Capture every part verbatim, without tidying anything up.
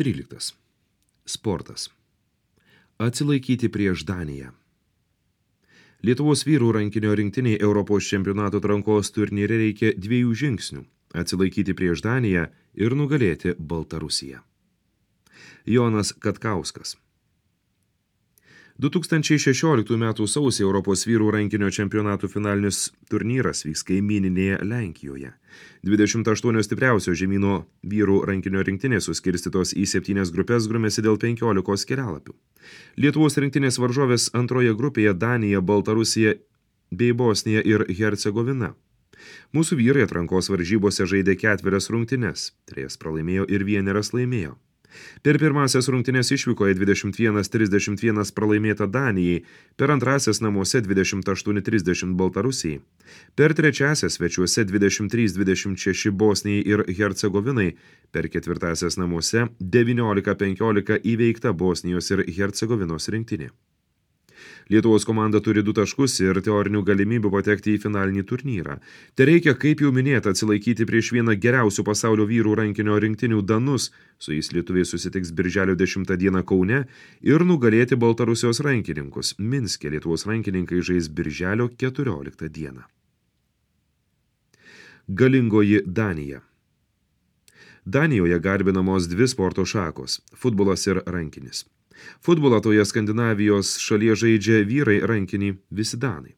tryliktas. Sportas. Atsilaikyti prieš Daniją. Lietuvos vyrų rankinio rinktiniai Europos čempionato atrankos turnyre reikia dviejų žingsnių – atsilaikyti prieš Daniją ir nugalėti Baltarusiją. Jonas Katkauskas. du tūkstančiai šešioliktųjų metų sausį Europos vyrų rankinio čempionatų finalinis turnyras vyks kaimyninėje Lenkijoje. dvidešimt aštuonios stipriausio žemyno vyrų rankinio rinktinės suskirstytos į septynias grupės grumėsi dėl penkiolikos kelialapių. Lietuvos rinktinės varžovės antroje grupėje Danija, Baltarusija bei Bosnija ir Hercegovina. Mūsų vyrai atrankos varžybose žaidė ketverias rungtynes, trejas pralaimėjo ir vieneras laimėjo. Per pirmąsias rungtynes išvykoje dvidešimt vienas trisdešimt vienas pralaimėta Danijai, per antrąsias namuose dvidešimt aštuoni trisdešimt Baltarusijai, per trečiąsias svečiuose dvidešimt trys dvidešimt šeši Bosnijai ir Hercegovinai, per ketvirtąsias namuose devyniolika penkiolika įveikta Bosnijos ir Hercegovinos rinktinė. Lietuvos komanda turi du taškus ir teorinių galimybių patekti į finalinį turnyrą. Te reikia, kaip jau minėta, atsilaikyti prieš vieną geriausių pasaulio vyrų rankinio rinktinių Danus, su jais lietuviai susitiks birželio dešimtą dieną Kaune, ir nugalėti Baltarusijos rankininkus. Minske Lietuvos rankininkai žais birželio keturioliktą dieną. Galingoji Danija. Danijoje garbinamos dvi sporto šakos – futbolas ir rankinis. Futbolą toje Skandinavijos šalyje žaidžia vyrai rankinį visi danai.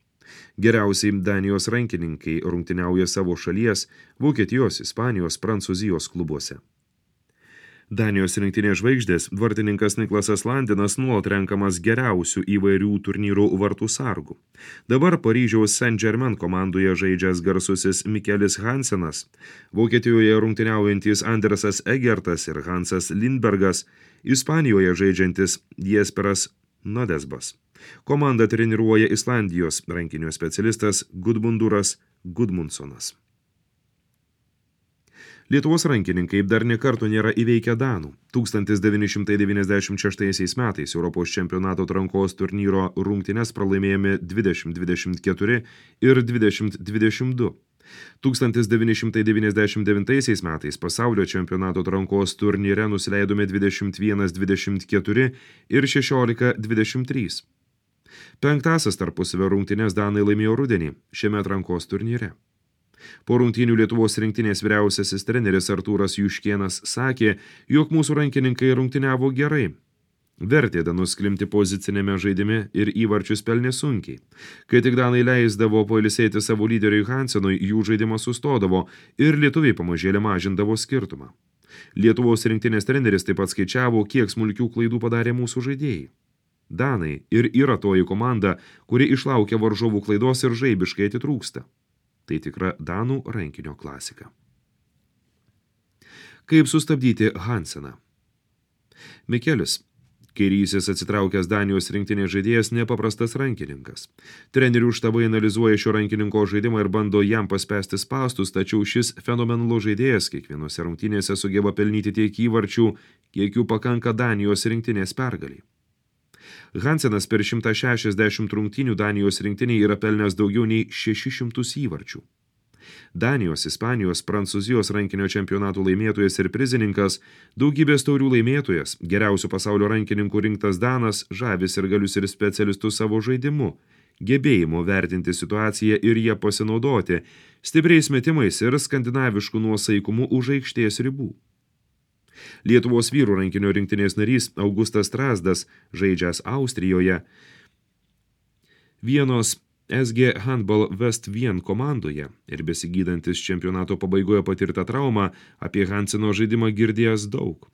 Geriausiai Danijos rankininkai rungtyniauja savo šalies, Vokietijos, Ispanijos, Prancūzijos klubuose. Danijos rinktinės žvaigždės vartininkas Niklasas Landinas nuolat renkamas geriausių įvairių turnyrų vartų sargų. Dabar Paryžiaus Saint-Germain komandoje žaidžias garsusis Mikelis Hansenas, Vokietijoje rungtyniaujantis Andersas Egertas ir Hansas Lindbergas, Ispanijoje žaidžiantis Jesperas Nodesbas. Komandą treniruoja Islandijos rankinio specialistas Gudmunduras Gudmundsonas. Lietuvos rankininkai dar nė karto nėra įveikę danų. tūkstantis devyni šimtai devyniasdešimt šeštaisiais metais Europos čempionato atrankos turnyro rungtynes pralaimėjome dvidešimt dvidešimt keturi ir dvidešimt dvidešimt du. tūkstantis devyni šimtai devyniasdešimt devintaisiais metais pasaulio čempionato atrankos turnyre nusileidome dvidešimt vienas dvidešimt keturi ir šešiolika dvidešimt trys. Penktąsias tarpusavio rungtynes danai laimėjo rudenį šiame atrankos turnyre. Po rungtynių Lietuvos rinktinės vyriausiasis treneris Artūras Juškėnas sakė, jog mūsų rankininkai rungtyniavo gerai. Vertė danus klimti pozicinėme žaidime ir įvarčius pelnė sunkiai. Kai tik danai leisdavo pailsėti savo lyderiui Hansenui, jų žaidimas sustodavo ir lietuviai pamažėlė mažindavo skirtumą. Lietuvos rinktinės treneris taip pat skaičiavo, kiek smulkių klaidų padarė mūsų žaidėjai. Danai ir yra toji komanda, kuri išlaukia varžovų klaidos ir žaibiškai atitrūksta. Tai tikra danų rankinio klasika. Kaip sustabdyti Hanseną? Mikelis, kairysis atsitraukęs Danijos rinktinės žaidėjas, nepaprastas rankininkas. Trenerių štabai analizuoja šio rankininko žaidimą ir bando jam paspęsti spąstus, tačiau šis fenomenalus žaidėjas kiekvienose rungtynėse sugeba pelnyti tiek įvarčių, kiek jų pakanka Danijos rinktinės pergaliai. Hansenas per šimtą šešiasdešimt rungtynių Danijos rinktinėje yra pelnęs daugiau nei šešis šimtus įvarčių. Danijos, Ispanijos, Prancūzijos rankinio čempionatų laimėtojas ir prizininkas, daugybės taurių laimėtojas, geriausių pasaulio rankininkų rinktas danas, žavis ir galius ir specialistus savo žaidimu, gebėjimo vertinti situaciją ir ją pasinaudoti, stipriais metimais ir skandinaviškų nuosaikumu už aikštės ribų. Lietuvos vyrų rankinio rinktinės narys Augustas Strazdas, žaidžiąs Austrijoje, Vienos S G Handball West Wien komandoje ir besigydantis čempionato pabaigoje patirtą traumą, apie Hanseno žaidimą girdėjęs daug.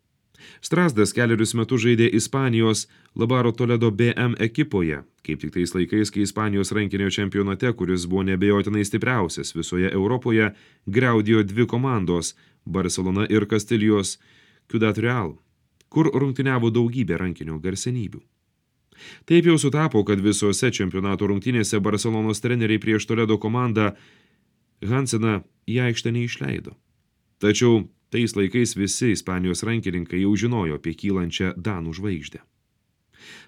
Strazdas keliarius metus žaidė Ispanijos Labaro Toledo B M ekipoje, kaip tik tais laikais, kai Ispanijos rankinio čempionate, kuris buvo neabejotinai stipriausias visoje Europoje, griaudėjo dvi komandos – Barcelona ir Kastilijos Ciudad Real, kur rungtyniavo daugybė rankinio garsenybių. Taip jau sutapo, kad visose čempionato rungtynėse Barcelonos treneriai prieš Toledo komandą Hanseną į aikštę neišleido. Tačiau tais laikais visi Ispanijos rankininkai jau žinojo apie kylančią danų žvaigždę.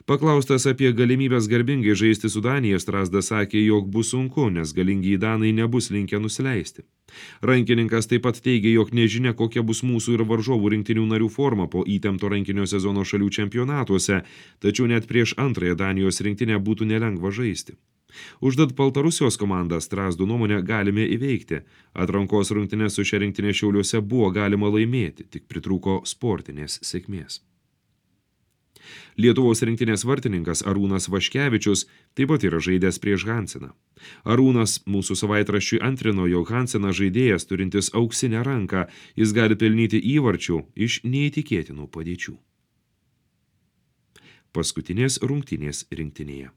Paklaustas apie galimybės garbingai žaisti su Danija, Strazdas sakė, jog bus sunku, nes galingi danai nebus linkę nusileisti. Rankininkas taip pat teigė, jog nežinia, kokia bus mūsų ir varžovų rinktinių narių forma po įtempto rankinio sezono šalių čempionatuose, tačiau net prieš antrąją Danijos rinktinę būtų nelengva žaisti. Užtat Baltarusijos komandą Strazdų nuomonę galime įveikti. Atrankos rungtynes su šia rinktinė Šiauliuose buvo galima laimėti, tik pritrūko sportinės sėkmės. Lietuvos rinktinės vartininkas Arūnas Vaškevičius taip pat yra žaidęs prieš Hanseną. Arūnas mūsų savaitraščiui antrino, jog Hansenas žaidėjas turintis auksinę ranką, jis gali pelnyti įvarčių iš neįtikėtinų padėčių. Paskutinės rungtynės rinktinėje.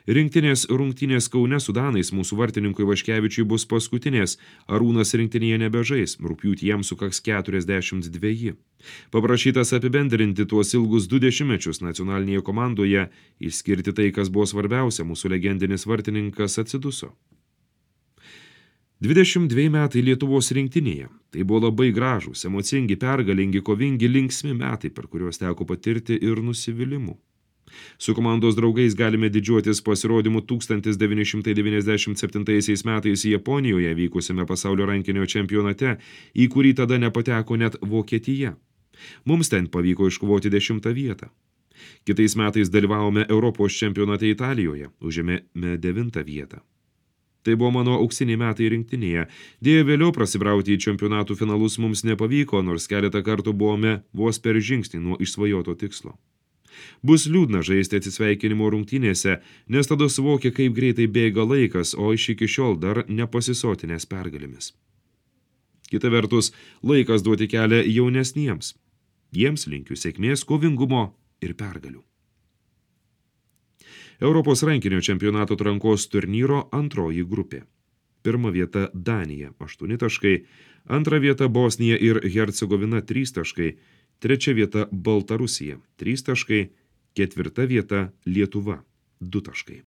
Rinktinės rungtynės Kaune su danais mūsų vartininkui Vaškevičiui bus paskutinės. Arūnas rinktinėje nebežais, rugpjūtį jam sukaks keturiasdešimt dveji. Paprašytas apibendrinti tuos ilgus du dešimtmečius nacionalinėje komandoje, išskirti tai, kas buvo svarbiausia, mūsų legendinis vartininkas atsiduso. dvidešimt dveji metai Lietuvos rinktinėje. Tai buvo labai gražūs, emocingi, pergalingi, kovingi, linksmi metai, per kuriuos teko patirti ir nusivylimų. Su komandos draugais galime didžiuotis pasirodymu tūkstantis devyni šimtai devyniasdešimt septintaisiais metais Japonijoje vykusiame pasaulio rankinio čempionate, į kurį tada nepateko net Vokietija. Mums ten pavyko iškovoti dešimtą vietą. Kitais metais dalyvavome Europos čempionate Italijoje, užėmėme devintą vietą. Tai buvo mano auksiniai metai rinktinėje. Dėja, vėliau prasibrauti į čempionatų finalus mums nepavyko, nors keletą kartų buvome vos per žingsnį nuo išsvajoto tikslo. Bus liūdna žaisti atsisveikinimo rungtynėse, nes tada suvokia, kaip greitai bėga laikas, o iš iki šiol dar nepasisotinės pergalėmis. Kita vertus, laikas duoti kelią jaunesniems. Jiems linkiu sėkmės, kovingumo ir pergalių. Europos rankinio čempionato atrankos turnyro antroji grupė. Pirma vieta Danija, aštuoni taškai, antra vieta Bosnija ir Hercegovina, trys taškai, trečia vieta Baltarusija, trys taškai, ketvirta vieta Lietuva, du taškai.